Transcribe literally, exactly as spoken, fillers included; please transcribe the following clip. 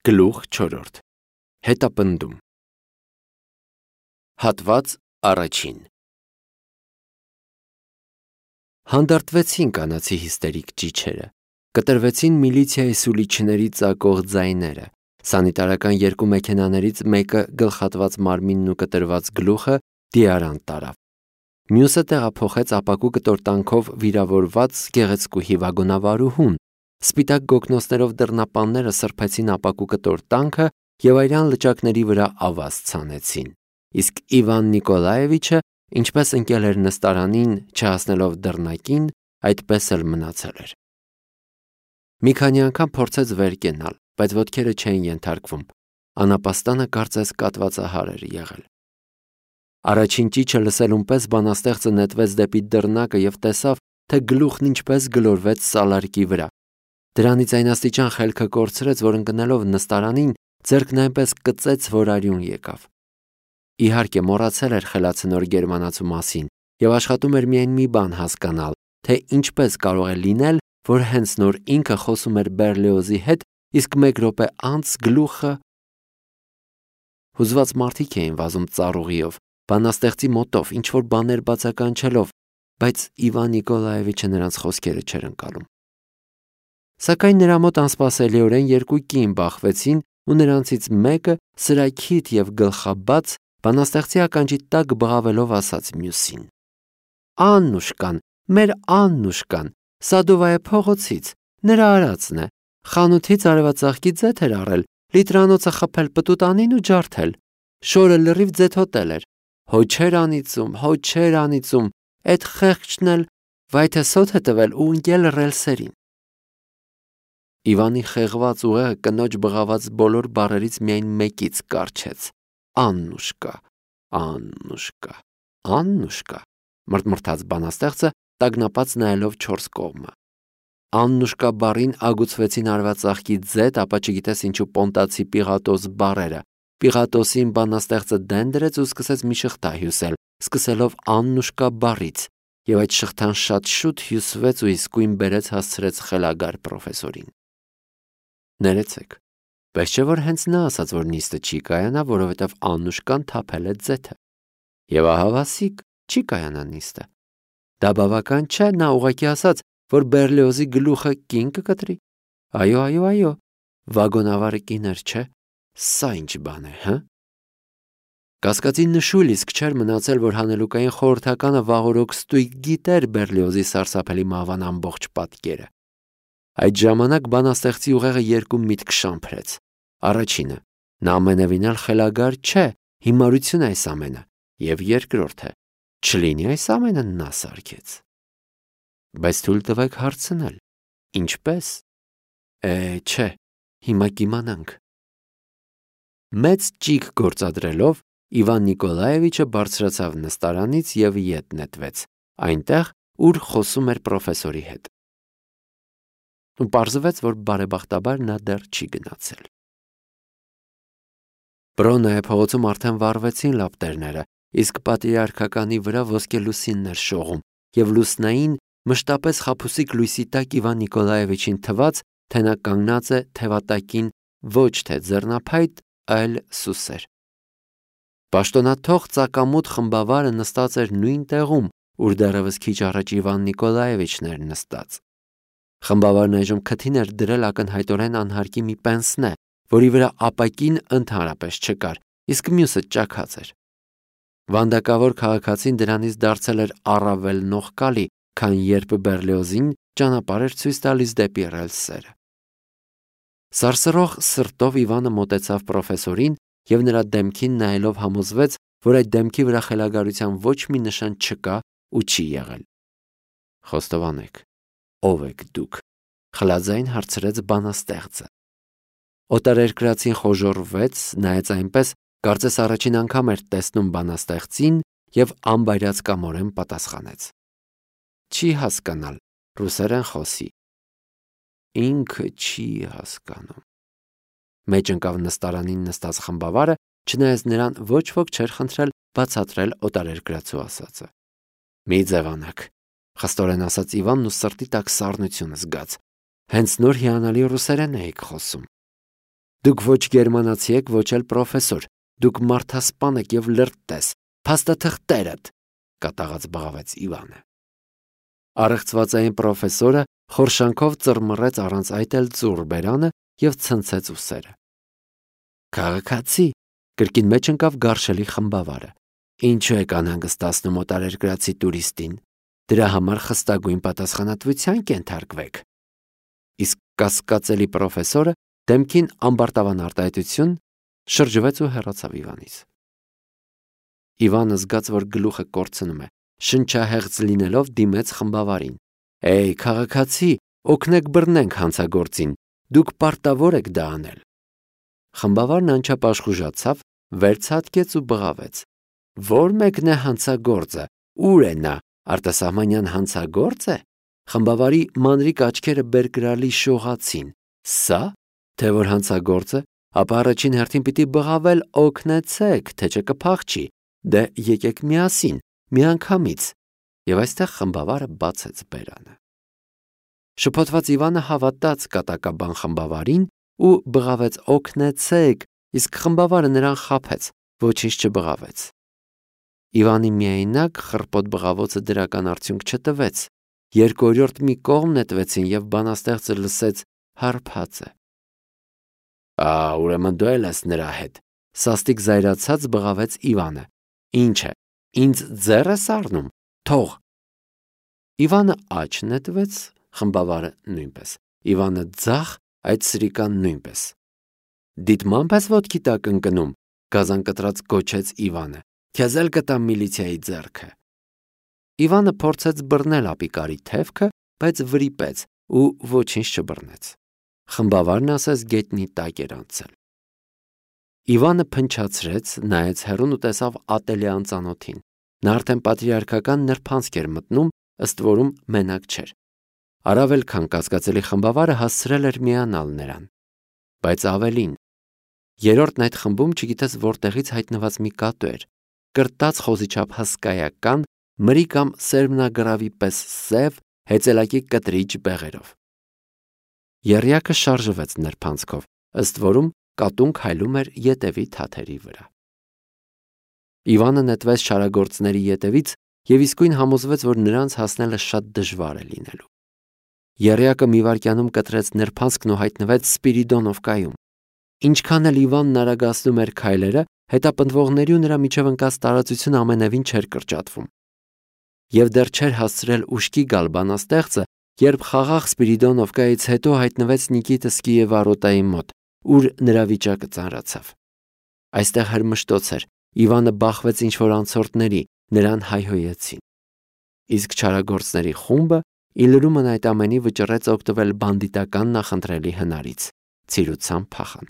Գլուխ չորրորդ Հետապնդում Հատված առաջին Հանդարտվեցին կանացի հիստերիկ ճիչերը, կտրվեցին միլիցիայի սուլիչների ծակող ձայները, սանիտարական երկու մեքենաներից մեկը գլխատված մարմինն ու կտրված գլուխը դիարանտ տարավ, մյուսը տեղափոխեց ապակու կտորտանքով վիրավորված գեղեցկուհի վագոնավարուհուն, սպիտակ գոգնոցներով դռնապանները սրբեցին ապակու կտորտանքը և այրան լճակների վրա ավազ ցանեցին, իսկ Իվան Նիկոլաևիչը, ինչպես ընկել էր նստարանին, չհասնելով դռնակին, այդպես էլ մնացել էր։ Մի քանի անգամ փորձեց վեր կենալ, բայց ոտքերը չէին ենթարկվում, անապաստանը կարծես կատվածահար էր եղել։ Առաջին ճիչը լսելուն պես բանաստեղծը նետվեց դեպի դռնակը և տեսավ, թե գլուխն ինչպես գլորվեց սալարկի վրա։ Դրանից այն աստիճան խելքը կորցրեց, որ ընկնելով նստարանին, ձեռքն այնպես կծեց, որ արյուն եկավ։ Իհարկե, մոռացել էր խելացնոր գերմանացու մասին և աշխատում էր միայն մի բան հասկանալ, թե ինչպես կարող է լինել, որ հենց նոր ինքը խոսում էր Բերլիոզի հետ, իսկ մեկ րոպե անց գլուխը… Հուզված մարդիկ էին վազում ծառուղիով, բանաստեղծի մոտով, ինչ-որ բաներ բացականչելով, բայց Իվան Նիկոլաևիչը նրանց խոսքերը չէր ընկալում։ Սակայն նրա մոտ անսպասելիորեն երկու կին բախվեցին ու նրանցից մեկը սրաքիթ և գլխաբաց բանաստեղծի ականջի տակ բղավելով ասաց մյուսին. «Աննուշկան, մեր Աննուշկան, Սադովայե փողոցից, նրա արածն է, խանութից արևածաղկի ձեթ էր առել, լիտրանոցը խփել պտուտանին ու ջարդել, շորը լրիվ ձեթոտել էր, հո չէր անիծում, հո չէր անիծում, էդ խեղճն էլ վայ թե սոթ է տվել ու ընկել ռելսերին»։ Իվանի խեղված ուղեղը կնոջ բղաված բոլոր բառերից միայն մեկից կառչեց. «Աննուշկա, Աննուշկա, Աննուշկա», մռթմռթաց բանաստեղծը, տագնապած նայելով չորս կողմը։ Աննուշկա բառին ագուցվեցին արևածաղկի ձեթ, ապա չգիտես ինչու պոնտացի Պիղատոս բառերը։ Պիղատոսին բանաստեղծը դեն դրեց ու սկսեց մի շղթա հյուսել, սկսելով Աննուշկա բառից, և այդ շղթան շատ շուտ հյուսվեց ու իսկույն բերեց հասցրեց խելագար պրոֆեսորին։ Ներեցեք, բայց չէ՞ որ հենց նա ասաց, որ նիստը չի կայանա, որովհետև Աննուշկան թափել է ձեթը։ Եվ ահավասիկ, չի կայանա նիստը։ Դա բավական չէ, նա ուղղակի ասաց, որ Բերլիոզի գլուխը կին կկտրի։ Այո, այո, այո, վագոնավարը կին էր, չէ՞։ Սա ինչ բան է, հը՞։ Կասկածի նշույլ իսկ չէր մնացել, որ հանելուկային խորհրդականը վաղօրոք ստույգ գիտեր Բերլիոզի սարսափելի մահվան ամբողջ պատկերը։ Այդ ժամանակ բանաստեղծի ուղեղը երկու միտք շամփրեց։ Առաջինը՝ նա ամենևին էլ խելագար չէ, հիմարություն է այս ամենը, և երկրորդը՝ չլինի այս ամենը նա սարքեց։ Բայց թույլ տվեք հարցնել. ինչպե՞ս։ Է, չէ, հիմա կիմանանք։ Մեծ ճիգ գործադրելով Իվան Նիկոլաևիչը բարձրացավ նստարանից և ետ նետվեց, այնտեղ, ուր խոսում էր պրոֆեսորի հետ։ Ու պարզվեց, որ բարեբախտաբար նա դեռ չի գնացել։ Բրոննայե փողոցում արդեն վառվեցին լապտերները, իսկ պատրիարքականի վրա ոսկե լուսինն էր շողում, և լուսնային, մշտապես խաբուսիկ լույսի տակ Իվան Նիկոլաևիչին թվաց, թե նա կանգնած է թևատակին ոչ թե ձեռնափայտ, այլ սուսեր։ Պաշտոնաթող ծակամուտ խմբավարը նստած էր նույն տեղում, ուր դեռևս քիչ առաջ Իվան Նիկոլաևիչն էր նստած։ Խմբավարն այժմ քթին էր դրել ակնհայտորեն անհարկի մի պենսնե, որի վրա ապակին ընդհանրապես չկար, իսկ մյուսը ճաքած էր։ Վանդակավոր քաղաքացին դրանից դարձել էր առավել նողկալի, քան երբ Բերլիոզին ճանապարհ էր ցույց տալիս դեպի ռելսերը։ Սարսռող սրտով Իվանը մոտեցավ պրոֆեսորին և նրա դեմքին նայելով համոզվեց, որ այդ դեմքի վրա խելագարության ոչ մի նշան չկա ու չի եղել։ Խոստովանեք, ո՞վ եք դուք, խլաձայն հարցրեց բանաստեղծը։ Օտարերկրացին խոժոռվեց, նայեց այնպես, կարծես առաջին անգամ էր տեսնում բանաստեղծին և անբայրացկամորեն պատասխանեց. Չի հասկանալ, ռուսերեն խոսի։ Ինքը չի հասկանում։ Մեջ ընկավ նստարանին նստած խմբավարը, չնայած նրան ոչ ոք չէր խնդրել բացատրել օտարերկրացու ասածը։ Մի ձևանաք, խստորեն ասաց Իվանն ու սրտի տակ սառնություն զգաց։ Հենց նոր հիանալի ռուսերեն էիք խոսում։ Դուք ոչ գերմանացի եք, ոչ էլ պրոֆեսոր, դուք մարդասպան եք եւ լրտես, փաստաթղթերդ, կատաղած բղավեց Իվանը։ Առեղծվածային պրոֆեսորը խորշանքով ծռմռեց առանց այդ էլ ծուռ բերանը եւ ցնցեց ուսերը։ Քաղաքացի, կրկին մեջ ընկավ գարշելի խմբավարը։ Ինչու եք անհանգստացնում օտարերկրացի տուրիստին։ Դրա համար խստագույն պատասխանատվության կենթարկվեք։ Իսկ կասկածելի պրոֆեսորը դեմքին ամբարտավան արտահայտություն շրջվեց ու հեռացավ Իվանից։ Իվանը զգաց, որ գլուխը կորցնում է, շնչահեղձ լինելով դիմեց խմբավարին։ Էй, քաղաքացի, օգնեք բռնենք հանցագործին, դուք պարտավոր եք դա անել։ Խմբավարն անչափ վերցատկեց ու բղավեց։ Որ մեկն է հանցագործը, ուր է նա, արտասահմանյան հանցագործ է։ Խմբավարի մանրիկ աչքերը բերկրալի շողացին։ Սա, թե որ հանցագործը, ապա առաջին հերթին պիտի բղավել օգնեցեք, թե չկփախչի, դե եկեք միասին, միանգամից։ Եվ այստեղ խմբավարը բացեց բերանը։ Շփոթված Իվանը հավատաց կատակաբան խմբավարին ու բղավեց օգնեցեք, իսկ խմբավարը նրան խաբեց, ոչինչ չբղավեց։ Իվանի միայնակ խռպոտ բղավոցը դրական արդյունք չտվեց։ Երկորորդ մի կողմ նետվեցին եւ բանաստեղծը լսեց հարբածը։ Ա, ուրեմն դու էլ ես նրա հետ, սաստիկ զայրացած բղավեց Իվանը։ Ինչ է, ինձ ձեռ ես առնում, թող։ Իվանը աջ նետվեց, խմբավարը նույնպես։ Իվանը ձախ, այդ սրիկան նույնպես։ Դիտմամբ ես ոտքի տակ ընկնում, գազան կտրած գոչեց Իվանը։ Քեզ էլ կտամ միլիցիայի ձեռքը։ Իվանը փորձեց բռնել ապիկարի թևքը, բայց վրիպեց ու ոչինչ չբռնեց։ Խմբավարն ասես գետնի տակ էր անցել։ Իվանը փնչացրեց, նայեց հեռուն ու տեսավ ատելի անծանոթին։ Նա արդեն պատրիարքական նրբանցք էր մտնում, ըստ որում մենակ չէր։ Առավել քան կասկածելի խմբավարը հասցրել էր միանալ նրան։ Բայց ավելին, երրորդն այդ խմբում չգիտես որտեղից հայտնված մի կատու էր, կրտած խոզիչափ հսկայական, մրի կամ սերմնագրավի պես սև, հեծելակի կտրիչ բեղերով։ Եռյակը շարժվեց նրբանցքով, ըստ որում կատուն քայլում էր ետևի թաթերի վրա։ Իվանը նետվեց չարագործների ետևից եւ իսկույն համոզվեց, որ նրանց հասնելը շատ դժվար է լինելու։ Եռյակը մի վայրկյանում կտրեց նրբանցքն ու հայտնվեց Սպիրիդոնովկայում։ Ինչքան էլ Իվանն արագացնում էր քայլերը, հետապնդվողների ու նրա միջև ընկած տարածությունը ամենևին չէր կրճատվում։ Եվ դեռ չէր հասցրել ուշքի գալ բանաստեղծը, երբ խաղաղ Սպիրիդոնովկայից հետո հայտնվեց Նիկիտսկի եւ Վարոտայի մոտ, ուր նրա վիճակը ծանրացավ։ Այստեղ հրմշտոց էր, Իվանը բախվեց ինչ-որ անցորդների, նրան հայհոյեցին։ Իսկ չարագործների խումբը ի լրումն այդ ամենի վճռեց օգտվել բանդիտական նախընտրելի հնարից՝ ցիրուցան փախան։